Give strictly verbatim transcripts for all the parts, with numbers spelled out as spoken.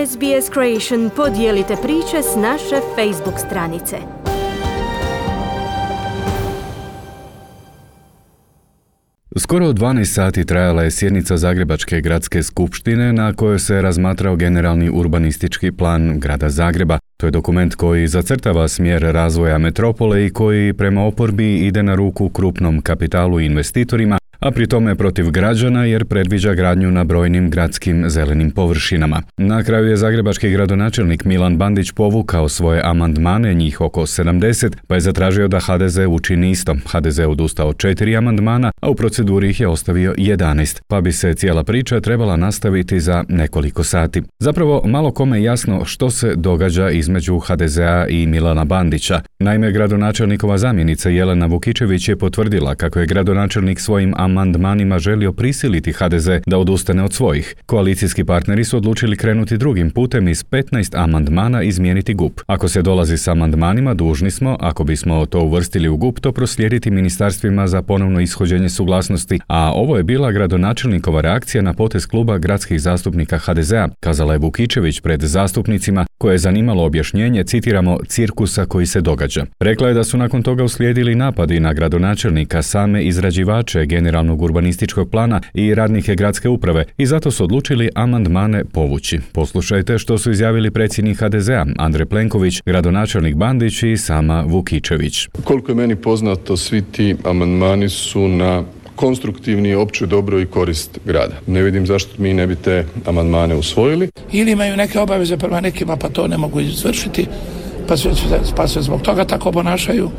S B S Creation podijelite priče s naše Facebook stranice. Skoro dvanaest sati trajala je sjednica Zagrebačke gradske skupštine na kojoj se razmatrao generalni urbanistički plan grada Zagreba. To je dokument koji zacrtava smjer razvoja metropole i koji prema oporbi ide na ruku krupnom kapitalu i investitorima, a pri tome protiv građana jer predviđa gradnju na brojnim gradskim zelenim površinama. Na kraju je zagrebački gradonačelnik Milan Bandić povukao svoje amandmane, njih oko sedamdeset, pa je zatražio da H D Z učini isto. H D Z je odustao od četiri amandmana, a u proceduri ih je ostavio jedanaest, pa bi se cijela priča trebala nastaviti za nekoliko sati. Zapravo, malo kome je jasno što se događa između H D Z-a i Milana Bandića. Naime, gradonačelnikova zamjenica Jelena Vukičević je potvrdila kako je gradonačelnik svojim amandmanima želio prisiliti H D Z da odustane od svojih. Koalicijski partneri su odlučili krenuti drugim putem iz petnaest amandmana izmijeniti G U P. Ako se dolazi s amandmanima, dužni smo, ako bismo to uvrstili u G U P, to proslijediti ministarstvima za ponovno ishođenje suglasnosti, a ovo je bila gradonačelnikova reakcija na potez kluba gradskih zastupnika H D Z-a, kazala je Vukičević pred zastupnicima, koje je zanimalo objašnjenje, citiramo, cirkusa koji se događa. Rekla je da su nakon toga uslijedili napadi na gradonačelnika, same izrađivače generalnog urbanističkog plana i radnike gradske uprave i zato su odlučili amandmane povući. Poslušajte što su izjavili predsjednik H D Z-a Andrej Plenković, gradonačelnik Bandić i sama Vukičević. Koliko je meni poznato, svi ti amandmani su na konstruktivni, opće dobro i korist grada. Ne vidim zašto mi ne bi te amandmane usvojili. Ili imaju neke obaveze prema nekima pa to ne mogu izvršiti, pa se, pa se zbog toga tako ponašaju.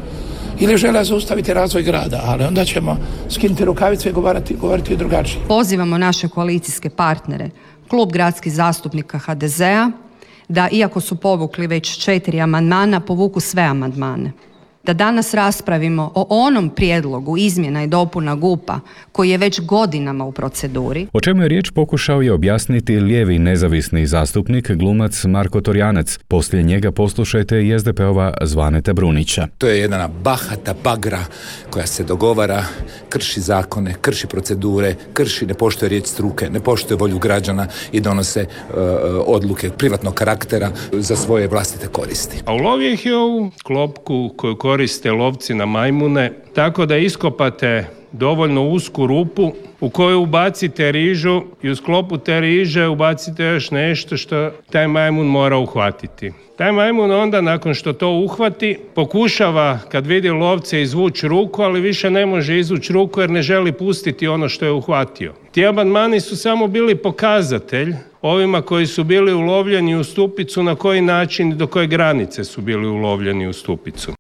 Ili žele zaustaviti razvoj grada, ali onda ćemo skinuti rukavice i govoriti, govoriti drugačije. Pozivamo naše koalicijske partnere, klub gradskih zastupnika H D Z-a, da iako su povukli već četiri amandmana, povuku sve amandmane. Da danas raspravimo o onom prijedlogu izmjena i dopuna G U P-a koji je već godinama u proceduri. O čemu je riječ pokušao je objasniti lijevi nezavisni zastupnik, glumac Marko Torjanac. Poslije njega poslušajte i S D P-ova Zvaneta Brunića. To je jedna bahata bagra koja se dogovara, krši zakone, krši procedure, krši, ne poštuje riječ struke, ne poštuje volju građana i donose uh, odluke privatnog karaktera za svoje vlastite koristi. A ulovio ih je ovu klopku koju koriste lovci na majmune, tako da iskopate dovoljno usku rupu u koju ubacite rižu i u sklopu te riže ubacite još nešto što taj majmun mora uhvatiti. Taj majmun onda nakon što to uhvati pokušava kad vidi lovce izvući ruku, ali više ne može izvući ruku jer ne želi pustiti ono što je uhvatio. Ti amandmani su samo bili pokazatelj ovima koji su bili ulovljeni u stupicu na koji način i do koje granice su bili ulovljeni u stupicu.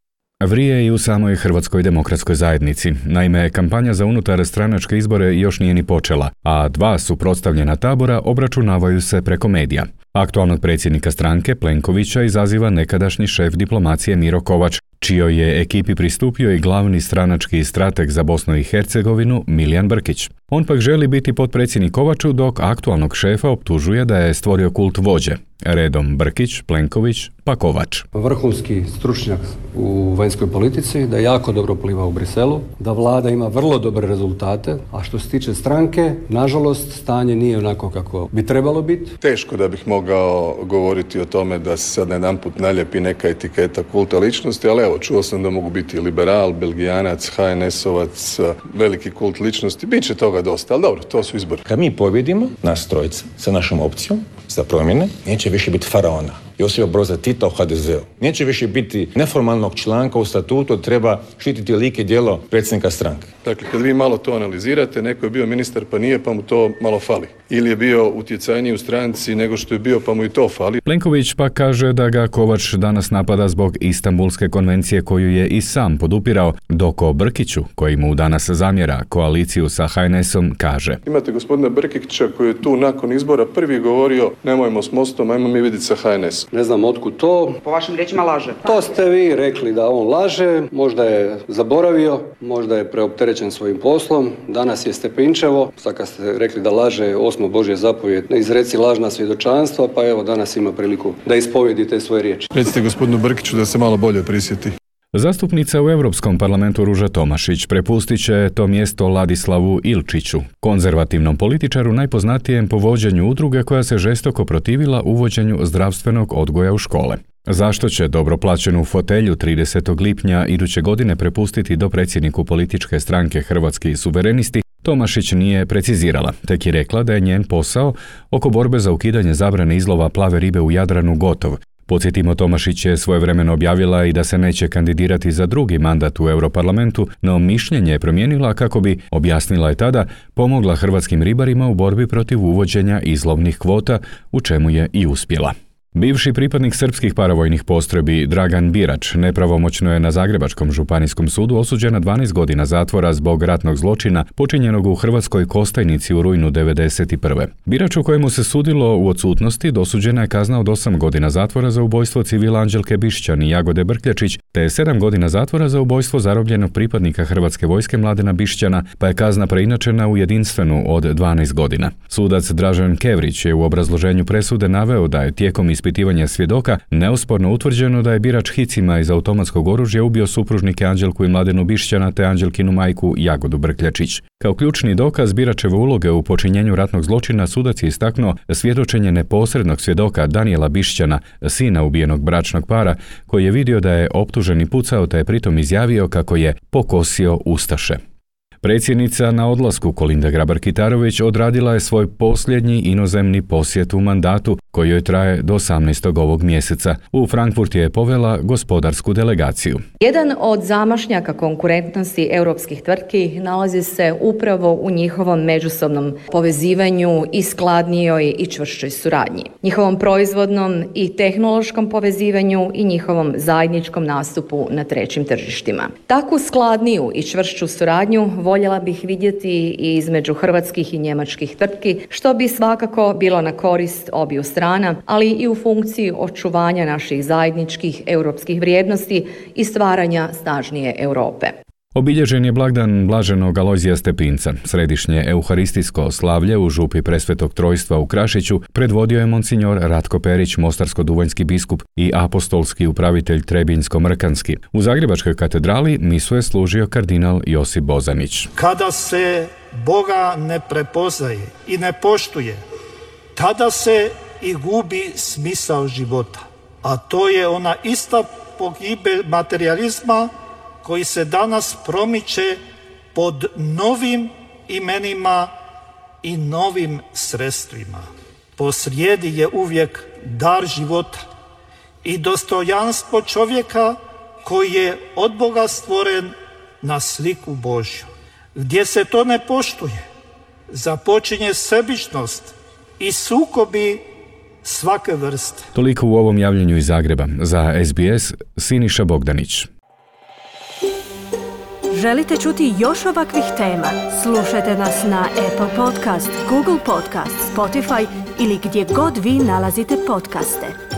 Vrije i u samoj Hrvatskoj demokratskoj zajednici. Naime, kampanja za unutar stranačke izbore još nije ni počela, a dva suprotstavljena tabora obračunavaju se preko medija. Aktualnog predsjednika stranke, Plenkovića, izaziva nekadašnji šef diplomacije Miro Kovač, čijoj je ekipi pristupio i glavni stranački strateg za Bosnu i Hercegovinu Milijan Brkić. On pak želi biti potpredsjednik Kovaču, dok aktualnog šefa optužuje da je stvorio kult vođe. Redom Brkić, Plenković, pa Kovač. Vrhunski stručnjak u vanjskoj politici, da jako dobro pliva u Briselu, da vlada ima vrlo dobre rezultate, a što se tiče stranke, nažalost, stanje nije onako kako bi trebalo biti. Teško da bih mogao govoriti o tome da se sad jedanput naljepi neka etiketa kulta ličnosti, ali evo, čuo sam da mogu biti liberal, belgijanac, H N S-ovac, veliki kult ličnosti, bit će toga dosta, ali dobro, to su izbori. Kad mi pobjedimo, nas trojica, sa našom opcijom, za promjene, neće više biti faraona. Josipa Broza Tita u H D Z-u. Neće više biti neformalnog članka u statutu, treba štititi lik i djelo predsjednika stranke. Dakle, kad vi malo to analizirate, neko je bio ministar pa nije, pa mu to malo fali. Ili je bio utjecajniji u stranci nego što je bio, pa mu i to fali. Plenković pa kaže da ga Kovač danas napada zbog Istanbulske konvencije koju je i sam podupirao, dok o Brkiću, koji mu danas zamjera koaliciju sa H N S-om, kaže. Imate gospodina Brkića koji je tu nakon izbora prvi govorio nemojmo s Mostom, ajmo mi vidjeti sa H N S. Ne znam otkud to. Po vašim riječima laže. To ste vi rekli da on laže, možda je zaboravio, možda je preopterećen svojim poslom, danas je Stepinčevo, sad kad ste rekli da laže osmo Božje zapovjed, ne izreci lažna svjedočanstva, pa evo danas ima priliku da ispovjedi te svoje riječi. Recite gospodinu Brkiću da se malo bolje prisjeti. Zastupnica u Europskom parlamentu Ruža Tomašić prepustit će to mjesto Ladislavu Ilčiću, konzervativnom političaru najpoznatijem po vođenju udruge koja se žestoko protivila uvođenju zdravstvenog odgoja u škole. Zašto će dobro plaćenu fotelju tridesetog lipnja iduće godine prepustiti do predsjedniku političke stranke Hrvatski suverenisti, Tomašić nije precizirala, tek je rekla da je njen posao oko borbe za ukidanje zabrane izlova plave ribe u Jadranu gotov. Podsjetimo, Tomašić je svojevremeno objavila i da se neće kandidirati za drugi mandat u Europarlamentu, no mišljenje je promijenila kako bi, objasnila je tada, pomogla hrvatskim ribarima u borbi protiv uvođenja izlovnih kvota, u čemu je i uspjela. Bivši pripadnik srpskih paravojnih postrojbi Dragan Birač nepravomoćno je na Zagrebačkom županijskom sudu osuđen na dvanaest godina zatvora zbog ratnog zločina počinjenog u Hrvatskoj Kostajnici u rujnu devedeset prve. Birač, u kojemu se sudilo u odsutnosti, dosuđena je kazna od osam godina zatvora za ubojstvo civila Anđelke Bišćan i Jagode Brkljačić, te sedam godina zatvora za ubojstvo zarobljenog pripadnika Hrvatske vojske Mladena Bišćana, pa je kazna preinačena u jedinstvenu od dvanaest godina. Sudac Dražen Kevrić je u obrazloženju presude naveo da je tijekom ispitivanja svjedoka neosporno utvrđeno da je Birač hicima iz automatskog oružja ubio supružnike Anđelku i Mladenu Bišćana te Anđelkinu majku Jagodu Brkljačić. Kao ključni dokaz Biračeve uloge u počinjenju ratnog zločina sudac je istaknuo svjedočenje neposrednog svjedoka Danijela Bišćana, sina ubijenog bračnog para, koji je vidio da je optuženi pucao te je pritom izjavio kako je pokosio ustaše. Predsjednica na odlasku Kolinda Grabar-Kitarović odradila je svoj posljednji inozemni posjet u mandatu koji joj traje do osamnaestog ovog mjeseca. U Frankfurt je povela gospodarsku delegaciju. Jedan od zamašnjaka konkurentnosti europskih tvrtki nalazi se upravo u njihovom međusobnom povezivanju i skladnijoj i čvršćoj suradnji, njihovom proizvodnom i tehnološkom povezivanju i njihovom zajedničkom nastupu na trećim tržištima. Takvu skladniju i čvršću suradnju voljela bih vidjeti i između hrvatskih i njemačkih tvrtki, što bi svakako bilo na korist obiju strana, ali i u funkciji očuvanja naših zajedničkih europskih vrijednosti i stvaranja snažnije Europe. Obilježen je blagdan blaženog Alojzija Stepinca. Središnje euharistijsko slavlje u župi Presvetog Trojstva u Krašiću predvodio je monsignor Ratko Perić, mostarsko-duvanjski biskup i apostolski upravitelj Trebinjsko-Mrkanski. U Zagrebačkoj katedrali misu je služio kardinal Josip Bozanić. Kada se Boga ne prepoznaje i ne poštuje, tada se i gubi smisao života. A to je ona ista pogibelj materijalizma koji se danas promiče pod novim imenima i novim sredstvima. Posrijedi je uvijek dar života i dostojanstvo čovjeka koji je od Boga stvoren na sliku Božju. Gdje se to ne poštuje, započinje sebičnost i sukobi svake vrste. Toliko u ovom javljanju iz Zagreba. Za S B S, Siniša Bogdanić. Želite čuti još ovakvih tema? Slušajte nas na Apple Podcast, Google Podcast, Spotify ili gdje god vi nalazite podcaste.